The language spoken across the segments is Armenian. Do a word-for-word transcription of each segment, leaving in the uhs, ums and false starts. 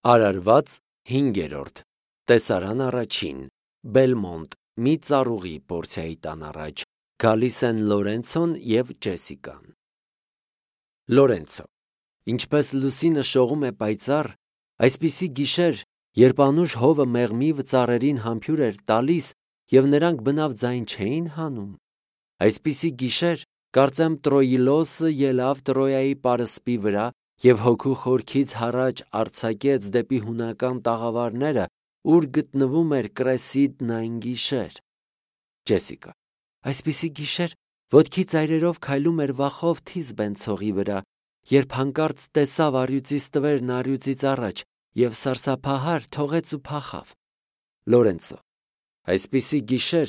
Արարված հինգերորդ տեսարան առաջին Բելմոնտ մի ծառուղի Պորցիայի տան առաջ գալիս են Լորենցոն և Ջեսիկան։ Լորենցո, ինչպես լուսինը շողում է պայծառ, այսպիսի գիշեր, երբ անուշ հովը մեղմի ծառերին համբույր էր տալիս և նրանք բնավ ձայն չէին հանում, այսպիսի գիշեր, կարծեմ Տրոիլոսը ելավ Տրոյայի պարսպի վրա և հոգու խորքից հառաջ արձակեց դեպի հունական տաղավարները, ուր գտնվում էր Կրեսիդն այն գիշեր։ Ջեսիկա, այսպիսի գիշեր, ոտքի ծայրերով քայլում էր վախով Թիսբեն ցողի վրա, երբ հանկարծ տեսավ առյուծի ստվերն առյուծից առաջ և սարսափահար թողեց ու փախավ։ Լորենցո, այսպիսի գիշեր,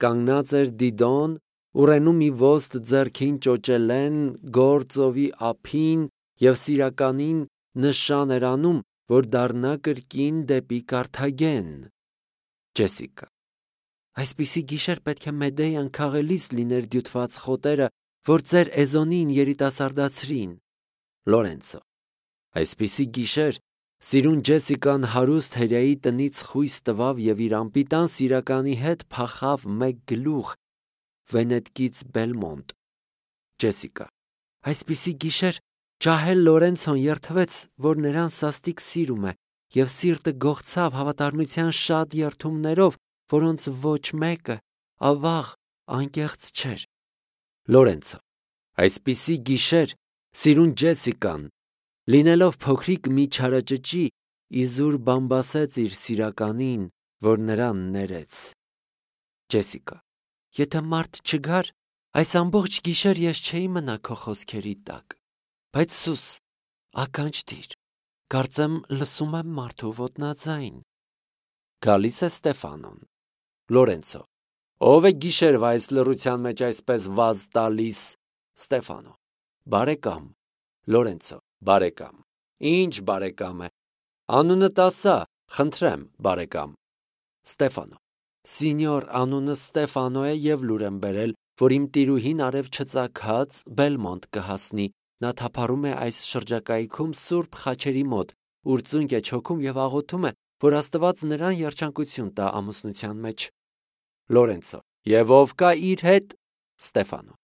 կանգնած էր Դիդոն, ուռենու մի ոստ ձեռքին ճոճելեն, գործովի ափին և սիրականին նշան էր անում, որ դառնա կրկին դեպի Կարթագեն։ Ջեսիկա, այսպիսի գիշեր պետք է Մեդեյան քաղելիս լիներ դյութված խոտերը, որ ձեր Էզոնին երիտասարդացրին։ Լորենցո, այսպիսի գիշեր, սիրուն Ջեսիկան հարուստ հրեայի տնից խույս տվավ և իր անպիտան սիրականի հետ փախավ մեկ գլուխ Վենետկից Բելմոնտ։ Ջեսիկա, այսպիսի գիշեր, ջահել Լորենցոն երդվեց, որ նրան սաստիկ սիրում է, և սիրտը գողցավ հավատարմության շատ երդումներով, որոնց ոչ մեկը ավաղ անկեղծ չէր։ Լորենցո, այսպիսի գիշեր, սիրուն Ջեսիկան, լինելով փոքրիկ մի չարաճճի, իզուր բամբասեց իր սիրականին, որ նրան ներեց։ Ջեսիկա, եթե մարդ չգար, այս ամբողջ գիշեր ես չէի մնա քո խոսքերի տակ, բայց սուս, ականջ դիր, կարծեմ լսում եմ մարդու ոտնաձայն։ Գալիս է Ստեֆանոն։ Լորենցո, ով է գիշերվա այս լռության մեջ այսպես վազ տալիս։ Ստեֆանո, բարեկամ։ Լորենցո, բարեկամ։ Ինչ բարեկամ է։ Անունդ ասա, խնդրեմ, բարեկամ։ Ստեֆանո, սինյոր, անունը Ստեֆանո է և լուր եմ բերել, որ իմ տիրուհին արև չծագած Բելմոնտ կհասնի, նա թափառում է այս շրջակայքում Սուրբ Խաչերի մոտ, ուր ծունկ է չոքում և աղոթում է, որ Աստված նրան երջանկություն տա ամուսնության մեջ։ Լորենցո, և ով կա իր հետ։ Ստեֆանո,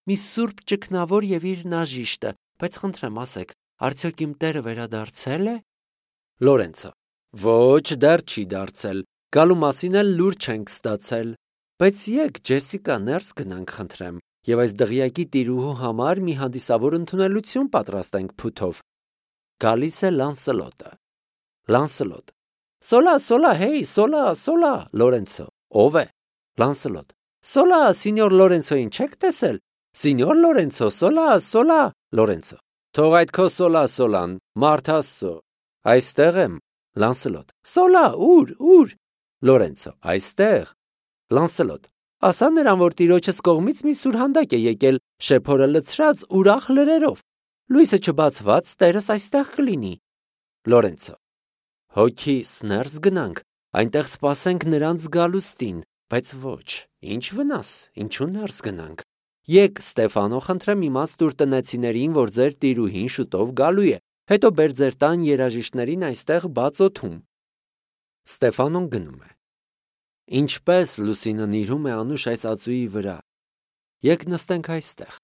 մի սուրբ ճգնավոր և իր նաժիշտը, բայց խնդրեմ ասեք, արդյոք իմ տերը վերադարձել է։ Լորենցո, ոչ, դեռ չի դարձել, գալու մասին էլ լուր չենք ստացել, բայց եկ Ջեսիկա ներս գնանք խնդրեմ, և այս դղյակի տիրուհու համար մի հանդիսավոր ընդունելություն պատրաստենք փութով։ Գալիս է Լանսելոտը։ Լանսելոտ, սոլա, սոլա, հեյ, սոլա, սոլա։ Լորենցո, ով է։ Լանսելոտ, սոլա, սինյոր Լորենցոին չեք տեսել։ Սինյոր Լորենցո, սոլա, սոլա։ Լորենցո, թող այդ քո սոլա, սոլան, մարդ Աստծո, այստեղ եմ։ Լանսելոտ, սոլա, ուր, ուր։ Լորենցո, այստեղ։ Լանսելոտ, ասա նրան, որ տիրոջս կողմից մի սուրհանդակ է եկել, շեփորը լցրած ուրախ լրերով, լույսը չբացված տերս այստեղ կլինի։ Լորենցո, հոգիս ներս գնանք, այնտեղ սպասենք նրանց գալուստին, բայց ոչ, ինչ վնաս, ինչու ներս գնանք։ Եկ Ստեֆանո, խնդրեմ իմաց տուր տնեցիներին, որ ձեր տիրուհին շուտով գալու է, հետո բեր ձեր տան երաժիշտներին այստեղ բաց օդում։ Ստեֆանոն գնում է։ Ինչպես լուսինն իրում է անուշ այս ածուի վրա։ Եկ նստենք այստեղ,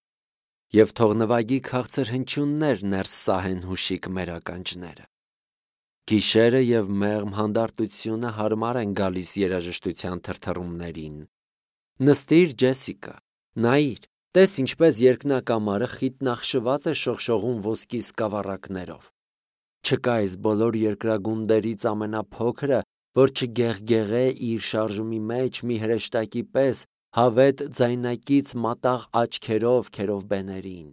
և թող նվագի քաղցր հնչյուններ ներս սահեն հուշիկ մեր ականջները։ Գիշերը և մեղմ հանդարտությունը հարմար են գալիս երաժշտության թրթռումներին։ Նստիր, Ջեսիկա, նայիր, տես ինչպես երկնակամարը խիտնախշված է շողշողում ոսկի սկավառակներով։ Չկա այս բոլոր երկրագունդերից ամենափոքրը, որ չգեղգեղե իր շարժումի մեջ մի հրեշտակի պես հավետ ձայնակից մատաղ աչքերով քերովբեներին։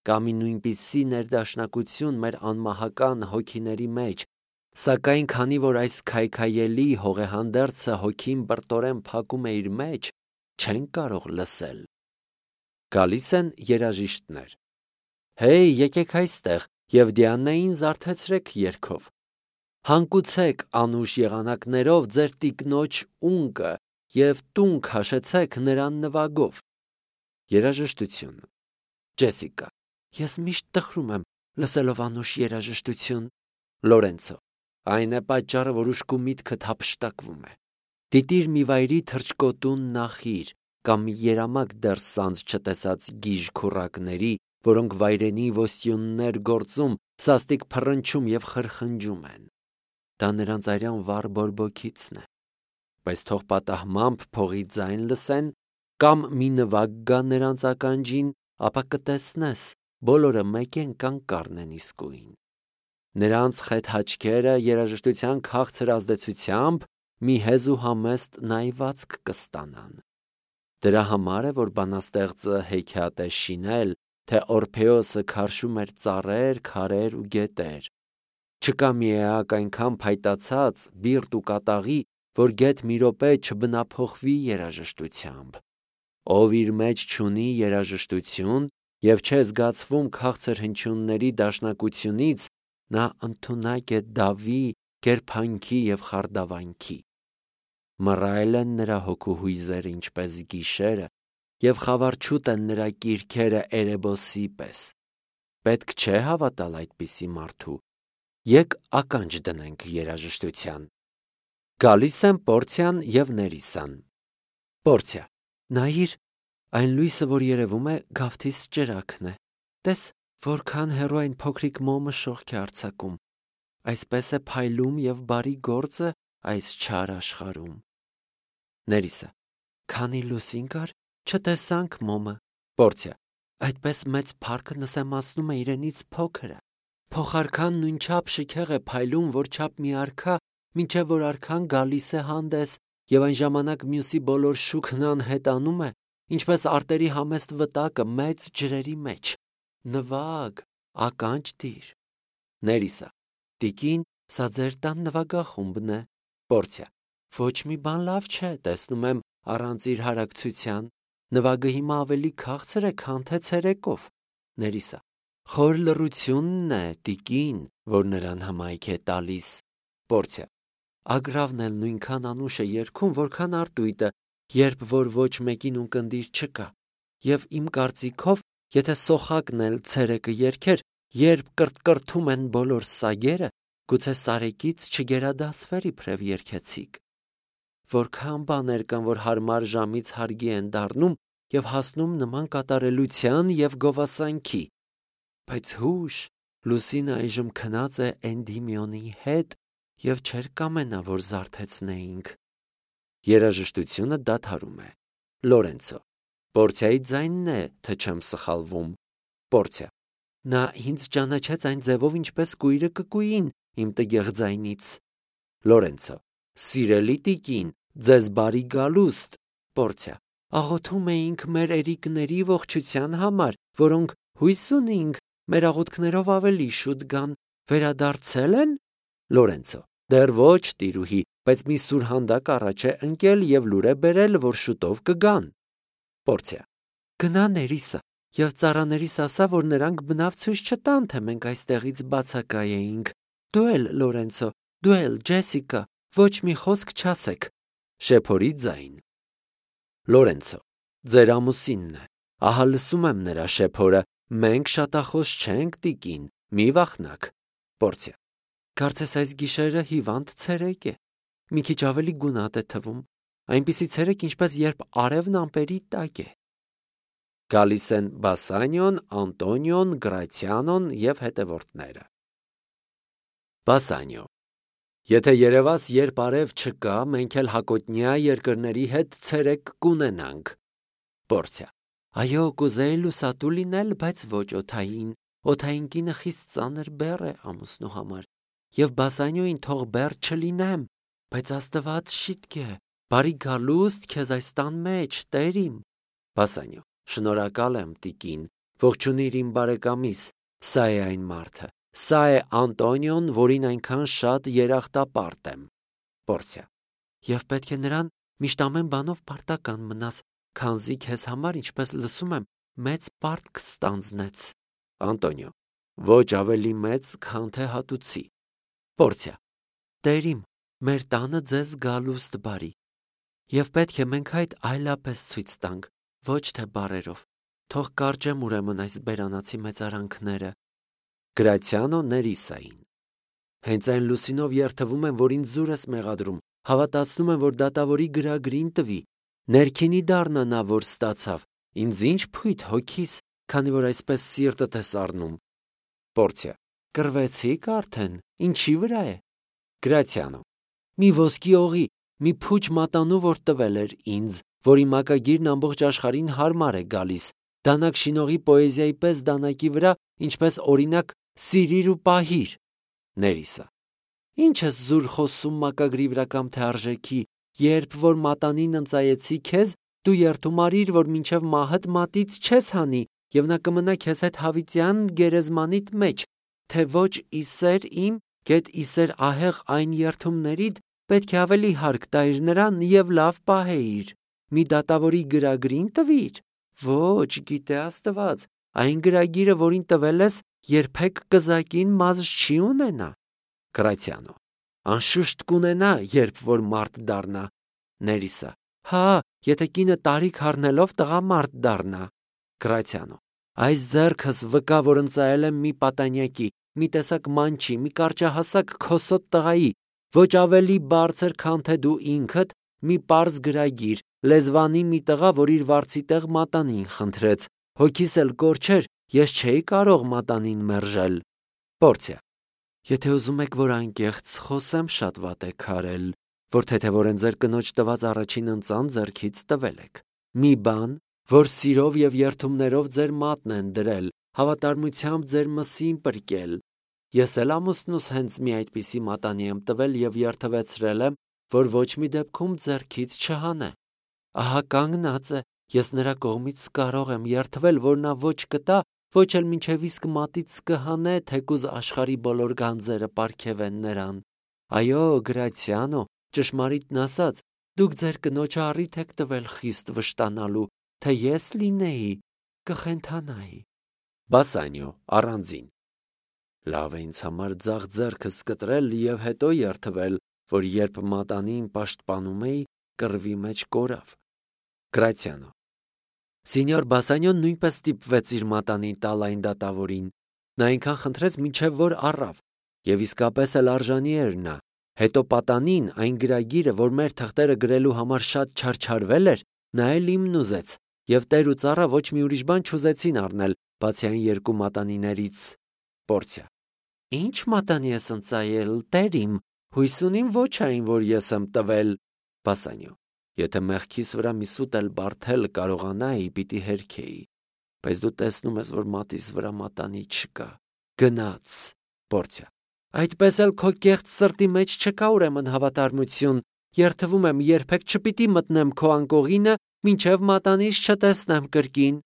Կա մի նույնպիսի ներդաշնակություն մեր անմահական հոգիների մեջ, սակայն քանի որ այս քայքայելի հողեհանդերձը հոգին բրտորեն փակում է իր մեջ, չենք կարող լսել։ Գալիս են երաժիշտներ։ Հեյ, եկեք այստեղ և Դիանային զարթեցրեք երգով։ Հանկուցեք անուշ եղանակներով ձեր տիկնոջ ունկը և տուն քաշեցեք նրան նվագով։ Երաժշտություն։ Ջեսիկա, ես միշտ տխրում եմ լսելով անուշ երաժշտություն։ Լորենցո, Այն է պատճառը, որ ուշքու միտքդ հափշտակվում է։ Դիտիր մի վայրի թռչկոտուն նախիր կամ մի երամակ դեռ սանձ չտեսած գիժ քուռակների, որոնք վայրենի ոստյուններ գործում, սաստիկ փռնչում եւ խրխնջում են։ Դա նրանց արյան վառ բորբոքիցն է։ Բայց թող պատահմամբ փողի ձայն լսեն կամ մի նվագ գա նրանց ականջին, ապա կտեսնես, բոլորը մեկեն կանկառն են իսկույն։ Նրանց խետ հաչքերը երաժշտության քաղցր ազդեցությամբ մի հեզ ու համեստ նայվածք կստանան։ Դրա համար է, որ բանաստեղծը հեքիաթ է շինել, թե Օրփեոսը քարշում էր ծառեր, քարեր ու գետեր։ Չկա մի էակ այնքան փայտացած, բիրտ ու կատաղի, որ գեթ մի րոպե չբնափոխվի երաժշտությամբ։ Ով իր մեջ չունի երաժշտություն եւ չէ զգացվում քաղցր հնչյունների դաշնակությունից, նա ընդունակ է դավի, կերփանքի եւ խարդավանքի։ Մռայլ են նրա հոգու հույզերը ինչպես գիշերը, եւ խավարչուտ են նրա կիրքերը Էրեբոսի պես։ Պետք չէ հավատալ այդպիսի մարդու։ Եկ ականջ դնենք երաժշտության։ Գալիս են Պորցիան եւ Ներիսան։ Պորցիա, նայիր, այն լույսը, որ երևում է, գավթիս ճրակն է։ Տես, որքան հեռու այն փոքրիկ մոմը շողք է արձակում։ Այսպես է փայլում եւ բարի գործը այս չար աշխարհում։ Ներիսը, քանի լուսին կար, չտեսանք մոմը։ Պորցիա, այդպես մեծ փառքը նսեմացնում է իրենից փոքրը։ Փոխարքան նույնչափ շքեղ է փայլում, որ չափ մի արքա, մինչև որ արքան գալիս է հանդես, եւ այն ժամանակ մյուսի բոլոր շուքն անհետանում է, ինչպես արտերի համեստ վտակը մեծ ջրերի մեջ։ Նվագ, ականջ դիր։ Ներիսա, տիկին, սա ձեր տան նվագախումբն է։ Պորցիա, ոչ մի բան լավ չէ, տեսնում եմ առանց իր հարակցության։ Նվագը հիմա ավելի քաղցր է, քան թե ցերեկով։ Ներիսա, խոր լռությունն է, տիկին, որ նրան հմայք է տալիս։ Պորցիա, ագրավն էլ նույնքան անուշ է երգում, որքան արտույտը, երբ որ ոչ մեկին ունկնդիր չկա։ Եվ իմ կարծիքով, եթե սոխակն էլ ցերեկը երգեր, երբ կրտկրթում են բոլոր սագերը, գուցե սարեկից չգերադասվեր իբրև երգեցիկ։ Որքան բաներ կան, որ հարմար ժամից հարգի են դառնում եւ հասնում նման կատարելության եւ գովասանքի։ Բայց հուշ, Լուսինը այժմ քնած է Էնդիմիոնի հետ եւ չէր կամենա, որ զարթեցնեինք։ Երաժշտությունը դադարում է։ Լորենցո, Պորցիայի ձայնն է, թե չեմ սխալվում։ Պորցիա, նա ինձ ճանաչեց այն ձևով, ինչպես կույրը կկույին իմ տգեղ ձայնից։ Լորենցո, սիրելի տիկին, ձեզ բարի գալուստ։ Պորցիա, աղոթում էինք մեր երիկների ողջության համար, որոնք հույս ունենք մեր աղոթքներով ավելի շուտ գան, վերադարձել են։ Լորենցո, դեռ ոչ, տիրուհի, բայց մի սուրհանդակ առաջ է ընկել եւ լուր է բերել, որ շուտով կգան։ Պորցիա, գնա Ներիսը եւ ծառաներիս ասա, որ նրանք բնավ ցույց չտան, թե մենք այստեղից բացակայ էինք։ Դու էլ, Լորենցո, դու էլ, Ջեսիկա, ոչ մի խոսք չասեք։ Շեփորի ձայն։ Լորենցո, ձեր ամուսինն է։ Ահա լսում եմ նրա շեփորը։ Մենք շատախոս չենք, տիկին, մի վախնաք։ Պորցիա, կարծես այս գիշերը հիվանդ ցերեկ է։ Մի քիչ ավելի գունատ է թվում, այնպիսի ցերեկ, ինչպես երբ արևն ամպերի տակ է։ Գալիս են Բասանիոն, Անտոնիոն, Գրացիանոն եւ հետևորդները։ Բասանիո, եթե երևաս, երբ արև չկա, մենք էլ հակոտնյա երկրների հետ ցերեկ կունենանք։ Պորցիա, այո, կուզեի լուսատու լինել, բայց ոչ օթային։ Օթային կինը խիստ ծանր բեռ է ամուսնու համար, եւ Բասանիոին թող բեռ չլինեմ, բայց Աստված շիտք է, բարի գալուստ քեզ այս տան մեջ, տերիմ։ Բասանիո, շնորհակալ եմ, տիկին, ողջունիր իմ բարեկամիս, սա է այն մարդը, սա է Անտոնիոն, որին այնքան շատ երախտապարտ եմ։ Պորցիա, եւ պետք է նրան միշտ ամեն բանով պարտական մնաս, քանզի քեզ համար, ինչպես լսում եմ, մեծ պարտք ստանձնեց։ Անտոնիո, ոչ ավելի մեծ, քան թե հատուցի։ Պորցիա, տերիմ, մեր տանը ձեզ գալուստ բարի, եւ պետք է մենք այդ այլապես ցույց տանք, ոչ թե բառերով։ Թող կարճեմ ուրեմն այս բերանացի մեծարանքները։ Գրացիանո Ներիսային։ Հենց այն լուսինով երթվում եմ, որ ինձ զուր ես մեղադրում, հավատացնում եմ, որ դատավորի գրագրին տվի, ներքինի դառնա նա, որ ստացավ, ինձ ինչ փույթ հոգիս, քանի որ այսպես սիրտդ ես առնում։ Պորցիա. Կռվեցիք արդեն, ինչի վրա է։ Գրացիանո. մի ոսկի օղի, մի փուչ մատանու, որ տվել էր ինձ, որի մակագիրն ամբողջ աշխարհին հարմար է գալիս, դանակ շինողի պոեզիայի պես դանակի վրա, ինչպես օրինակ սիրիր ու պահիր։ Ներիսը. Ինչ ես զուր խոսում մակագրի վրա կամ թե արժեքի, երբ որ մատանին ընծայեցի քեզ, դու երդում արիր, որ մինչև մահդ մատից չես հանի, եւ նա կմնա քեզ հետ հավիտյան գերեզմանիդ մեջ, թե ոչ իսեր իմ, գետ իսեր ահեղ այն երդումներիդ, պետք է ավելի հարկ տայր նրան եւ լավ պահեիր, մի դատավորի գրագրին տվիր, ոչ, գիտե Աստված, այն գրագիրը, որին տվել ես, երբեք կզակին մազը չի ունենա։ Գրացիանո. անշուշտ կունենա, երբ որ մարդ դառնա։ Ներիսը. հա, եթե կինը տարիք առնելով տղամարդ դառնա։ Գրացիանո. այս ձեռքս վկա, որ ընծայել եմ մի պատանյակի, մի տեսակ մանչի, մի կարճահասակ քոսոտ տղայի, ոչ ավելի բարձր, քան թե դու ինքդ, մի պարզ գրագիր, լեզվանի մի տղա, որ իր վարձի տեղ մատանին խնդրեց, հոգիս էլ կորչեր, ես չէի կարող մատանին մերժել։ Պորցիա. եթե ուզում եք, որ անկեղծ խոսեմ, շատ վատ եք արել, որ թեթևորեն ձեր կնոջ տված առաջին ընծան ձեռքից տվել եք։ Մի բան, որ սիրով եւ երդումներով ձեր մատն են դրել, հավատարմությամբ ձեր մսին պրկել։ Ես էլ ամուսնուս հենց մի այդպիսի մատանի եմ տվել եւ երթվեցրել եմ, որ ոչ մի դեպքում ձեռքից չհանե։ Ահա կանգնած է, ես նրա կողմից կարող եմ երթվել, որ նա ոչ կտա, ոչ էլ մինչև իսկ մատից կհանե, թեկուզ աշխարհի բոլոր գանձերը պարգևեն նրան։ Այո, Գրացիանո, ճշմարիտն ասած, դուք ձեր կնոջը առիթ եք տվել խիստ վշտանալու, թե ես լինեի, կխենթանայի։ Բասանիո առանձին. լավ է ինձ համար ձախ ձեռքս կտրել եւ հետո երթվել, որ երբ մատանին պաշտպանում էի, կռվի մեջ կորավ։ Գրացիանո. Սինյոր Բասանիոն նույնպես ստիպվեց իր մատանին տալ այն դատավորին, նա այնքան խնդրեց, մինչև որ առավ, եւ իսկապես էլ արժանի էր նա։ Հետո պատանին այն գրագիրը, որ մեր թղթերը գրելու համար շատ չարչարվել էր, նա էլ իմն ուզեց, եւ տեր ու ծառա ոչ մի ուրիշ բան չուզեցին առնել, բացի այն երկու մատանիներից։ Պորցիա. Ինչ մատանի ես ընծայել, տեր իմ, հույս ունիմ ոչ այն, որ ես եմ տվել։ Բասանիո. եթե մեղքիս վրա մի սուտ էլ բարթել կարողանայի, պիտի հերքեի, բայց դու տեսնում ես, որ մատիս վրա մատանի չկա։ Գնաց։ Պորցիա. այդպես էլ քո կեղծ սրտի մեջ չկա ուրեմն հավատարմություն, երթվում եմ, երբեք չպիտի մտնեմ քո անկողինը, մինչև մատանիս չտեսնեմ կրկին։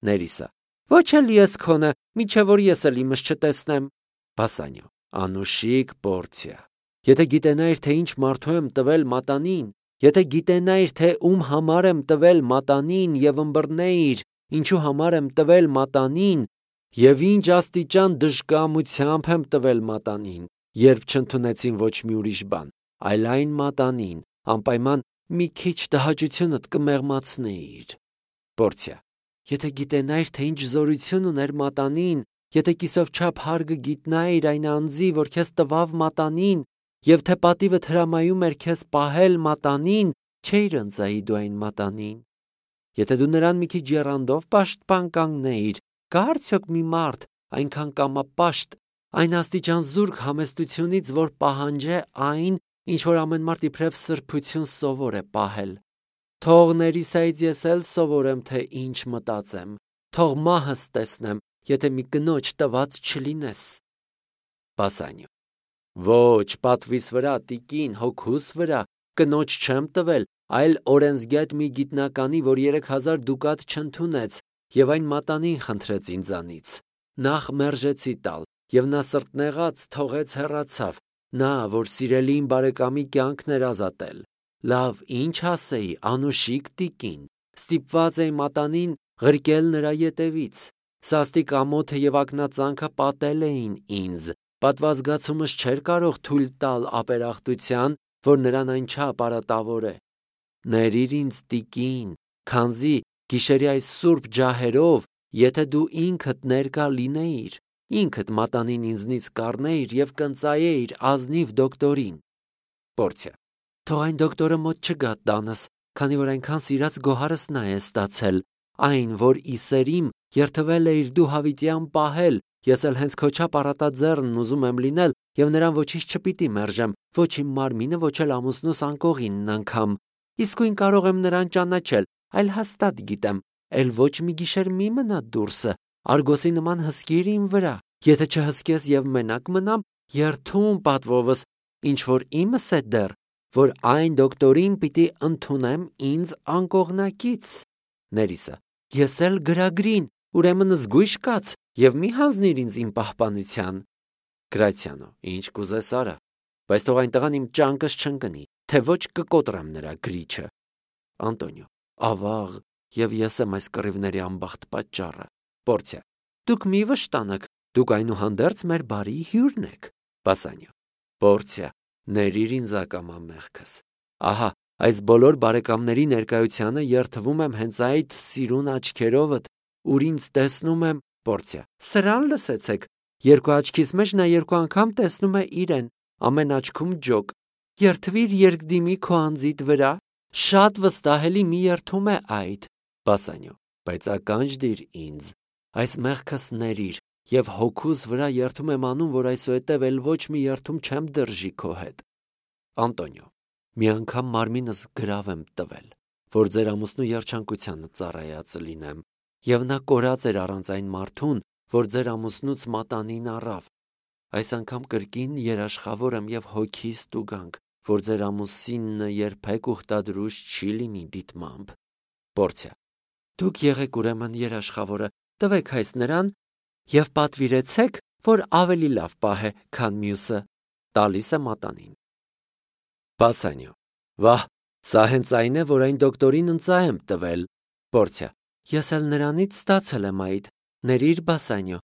Ներիսը. ոչ էլ ես քոնը, մինչև որ ես էլ իմս չտեսնեմ։ Բասանիո. անուշիկ Պորցիա. եթե գիտենայիր, թե ինչ մարդու եմ տվել մատանին, եթե գիտենայիր, թե ում համար եմ տվել մատանին եւ ըմբռնեիր, ինչու համար եմ տվել մատանին, եւ ինչ աստիճան դժկամությամբ եմ տվել մատանին, երբ չընդունեցին ոչ մի ուրիշ բան, այլ այն մատանին, անպայման մի քիչ տհաճությունդ կմեղմացնեիր։ Պորցիա. եթե գիտենայիր, թե ինչ զորություն ուներ մատանին, եթե կիսով չափ հարգը գիտնայիր այն անձի, որ քեզ տվավ մատանին, եւ թե պատիվդ հրամայում էր քեզ պահել մատանին, չէիր ընծայի դու այն մատանին։ Եթե դու նրան մի քիչ եռանդով պաշտպան կանգնեիր, կա արդյոք մի մարդ այնքան կամապաշտ, այն աստիճան զուրկ համեստությունից, որ պահանջե այն, ինչ որ ամեն մարդ իբրև սրբություն սովոր է պահել։ Թող ներիսայից ես էլ սովորեմ, թե ինչ մտածեմ, թող մահս տեսնեմ, եթե մի կնոջ տված չլինես։ Բասանիո. ոչ, պատվիս վրա, տիկին, հոգուս վրա, կնոջ չեմ տվել, այլ օրենսգետ մի գիտնականի, որ երեք հազար դուկատ չընդունեց, եւ այն մատանին խնդրեց ինձանից։ Նախ մերժեցի տալ, եւ նա սրտնեղած թողեց հեռացավ, նա, որ սիրելի իմ բարեկամի կյանքն էր ազատել։ Լավ, ինչ ասեի, անուշիկ տիկին, ստիպված էի մատանին ղրկել նրա ետևից։ Սաստիկ ամոթը եւ ակնածանքը պատել էին ինձ, պատվազգացումս չէր կարող թույլ տալ ապերախտության, որ նրան այն չապարատավոր է։ Ներիր ինձ տիկին, քանզի գիշերի այս սուրբ ջահերով, եթե դու ինքդ ներկա լինեիր, ինքդ մատանին ինձնից կառնեիր և կընծայեիր ազնիվ դոկտորին։ Պորցիա. Թող այն դոկտորը մոտ չգա տանս, քանի որ այնքան սիրած գոհարս նա է ստացել, այն, որ ի սերիմ երթվել էիր դու հավիտյան պահել, ես էլ հենց քո չափ առատաձեռնն ուզում եմ լինել և նրան ոչինչ չպիտի մերժեմ, ոչ իմ մարմինը, ոչ էլ ամուսնուս անկողինն անգամ։ Իսկույն կարող եմ նրան ճանաչել, այլ հաստատ գիտեմ, էլ ոչ մի գիշեր մի մնա դուրսը, արգոսի նման հսկիր իմ վրա, եթե չհսկես և մենակ մնամ, երթում պատվովս, ինչ որ իմս է դեռ, որ այն դոկտորին պիտի ընդունեմ ինձ անկողնակից։ Ներիսը. Ես էլ գրագրին, ուրեմն զգույշ կաց և մի հանձնիր ինձ իմ պահպանության։ Գրացիանո. Ինչ կուզես արա, բայց թող այն տղան իմ ճանկս չընկնի, թե ոչ կկոտրեմ նրա գրիչը։ Անտոնիո. Ավաղ, և ես եմ այս կռիվների անբախտ պատճառը։ Պորցիա. Դուք մի վշտանաք, դուք այնուհանդերձ մեր բարի հյուրն եք։ Բասանիո. Պորցիա, ներիր ինձ ակամա մեղքս։ Ահա, այս բոլոր բարեկամների ներկայությանը երթվում եմ հենց այդ սիրուն աչքերովդ, ուր ինձ տեսնում եմ։ Պորցիա. Սրան լսեցեք, երկու աչքիս մեջ նա երկու անգամ տեսնում է իրեն, ամեն աչքում ջոկ։ Երթվիր երկդիմի քո անձիդ վրա, շատ վստահելի մի երթում է այդ։ Բասանիո. Բայց ականջ դիր ինձ, այս մեղքս ներիր, և հոգուս վրա երթում եմ անում, որ այսուհետև էլ ոչ մի երթում չեմ դրժի քո հետ։ Անտոնիո. Մի անգամ մարմինս գրավ եմ տվել, որ ձեր ամուսնու երջանկությանը ծառայած լինեմ, և նա կորած էր առանց այն մարդուն, որ ձեր ամուսնուց մատանին առավ։ Այս անգամ կրկին երաշխավոր եմ և հոգիս տուգանք, որ ձեր ամուսինը երբեք ուխտադրուժ չի լինի դիտմամբ։ Պորցիա. Դուք եղեք ուրեմն երաշխավորը, տվեք այս նրան և պատվիրեցեք, որ ավելի լավ պահե, քան մյուսը։ Տալիս է մատանին։ Բասանիո. Վահ, սա հենց այն է, որ այն դոկտորին ընծա եմ տվել։ Պորցիա. Ես էլ նրանից ստացել եմ այդ, ներիր Բասանիո։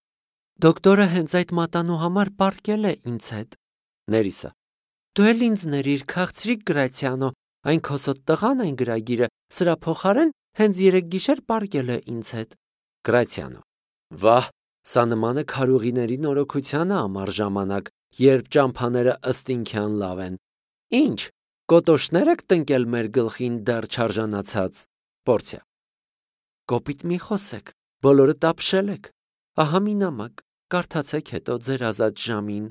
Դոկտորը հենց այդ մատանու համար պառկել է ինձ հետ։ Ներիսը. Դու էլ ինձ ներիր, քաղցրիկ Գրացիանո, այն քոսոտ տղան այն գրագիրը, սրա փոխարեն հենց երեկ գիշեր պառկել է ինձ հետ։ Գրացիանո. Վահ, սա նման է քարուղիների նորոգությանը ամառ ժամանակ, երբ ճամփաները ըստ ինքյան լավ են։ Ինչ, կոտոշներ եք տնկել մեր գլխին դեռ չարժանացած։ Պորցիա. Կոպիտ մի խոսեք, բոլորը տապշել եք։ Ահա մի նամակ, կարդացեք հետո ձեր ազատ ժամին,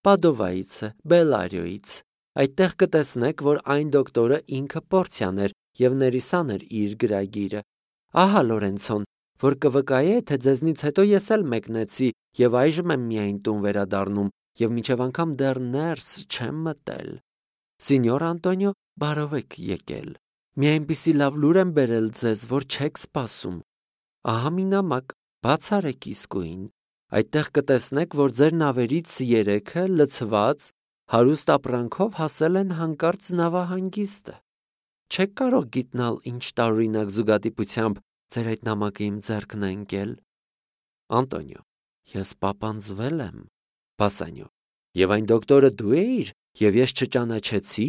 Պադովայից է, Բելարիոյից։ Այդտեղ կտեսնեք, որ այն դոկտորը ինքը Պորցիան էր և Ներիսան էր իր գրագիրը։ Ահա Լորենցոն, որ կվկայե, թե ձեզնից հետո ես էլ մեկնեցի և այժմ եմ միայն տուն վերադառնում և մինչև անգամ դեռ ներս չեմ մտել։ Սինյոր Անտոնիո, բարով եք եկել։ Մի այնպիսի լավ լուր եմ բերել ձեզ, որ չեք սպասում։ Ահա մի նամակ, բաց արեք իսկույն։ Այդտեղ կտեսնեք, որ ձեր նավերից երեքը լցված հարուստ ապրանքով հասել են հանկարծ նավահանգիստը։ Չեք կարող գիտնալ ինչ տարօրինակ զուգադիպությամբ ձեր այդ նամակը իմ ձեռքն է ընկել։ Անտոնիո. Ես պապանձվել եմ։ Բասանիո. Եվ այն դոկտորը դու էիր, և ես չճանաչեցի։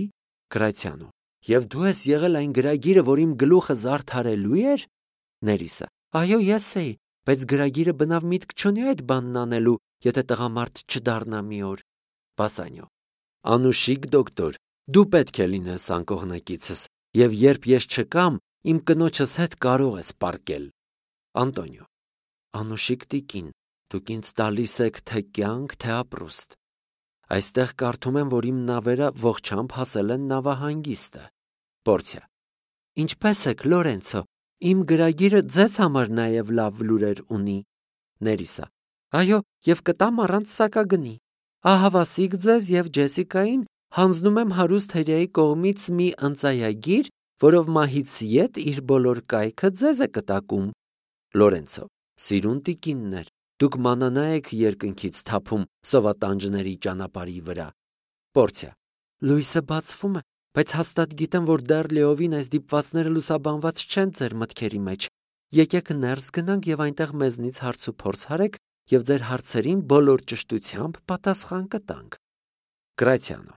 Գրացիանո. Եվ դու ես եղել այն գրագիրը, որ իմ գլուխը զարդարելու էր։ Ներիսը. Այո, ես էի, բայց գրագիրը բնավ միտք չունի այդ բանն անելու, եթե տղամարդ չդառնա մի օր։ Բասանիո. Անուշիկ դոկտոր, դու պետք է լինես անկողնակիցս, և երբ ես չկամ, իմ կնոջս հետ կարող ես պառկել։ Անտոնիո. Անուշիկ տիկին, դուք ինձ տալիս եք թե կյանք, թե ապրուստ։ Այստեղ կարդում եմ, որ իմ նավերը ողջամբ հասել են նավահանգիստը։ Պորցիա. Ինչպե՞ս եք, Լորենցո, իմ գրագիրը ձեզ համար նաև լավ լուրեր ունի։ Ներիսա. Այո, և կտամ առանց սակագնի։ Ահավասիկ ձեզ և Ջեսիկային հանձնում եմ հարուստ հրեայի կողմից մի ընծայագիր, որով մահից ետ իր բոլոր կայքը ձեզ է կտակում։ Լորենցո. Սիրուն տիկիններ, դուք մանանա եք երկնքից թափում սովատանջների ճանապարհի վրա։ Պորցիա. Լույսը բացվում է, բայց հաստատ գիտեմ, որ դեռ լիովին այս դիպվածները լուսաբանված չեն ձեր մտքերի մեջ։ Եկեք ներս գնանք և այնտեղ մեզնից հարց ու փորձ հարեք և ձեր հարցերին բոլոր ճշտությամբ պատասխան կտանք։ Գրացիանո.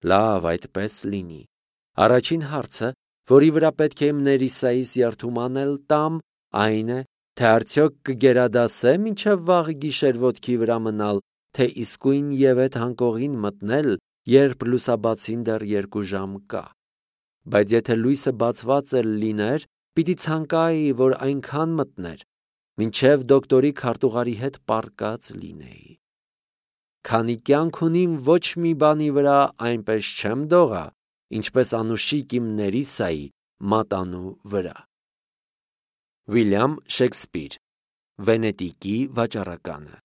Լավ, այդպես լինի։ Առաջին հարցը, որի վրա պետք է իմ Ներիսայիս երթում անել տամ, այն է, Թե արդյոք կգերադասե մինչև վաղ գիշեր ոտքի վրա մնալ, թե իսկույն եւ այդ հանկողին մտնել, երբ լուսաբացին դեռ երկու ժամ կա։ Բայց եթե լույսը բացված էլ լիներ, պիտի ցանկայի, որ այնքան մտներ, մինչև դոկտորի քարտուղարի հետ պառկած լինեի։ Քանի կյանք ունիմ, ոչ մի բանի վրա այնպես չեմ դողա, ինչպես անուշիկ իմ Ներիսայի մատանու վրա։ Վիլյամ Շեքսպիր, Վենետիկի վաճառականը,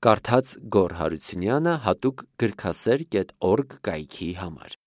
կարդաց Գոռ Հարությունյանը հատուկ գրքասեր կետ օրգ կայքի համար։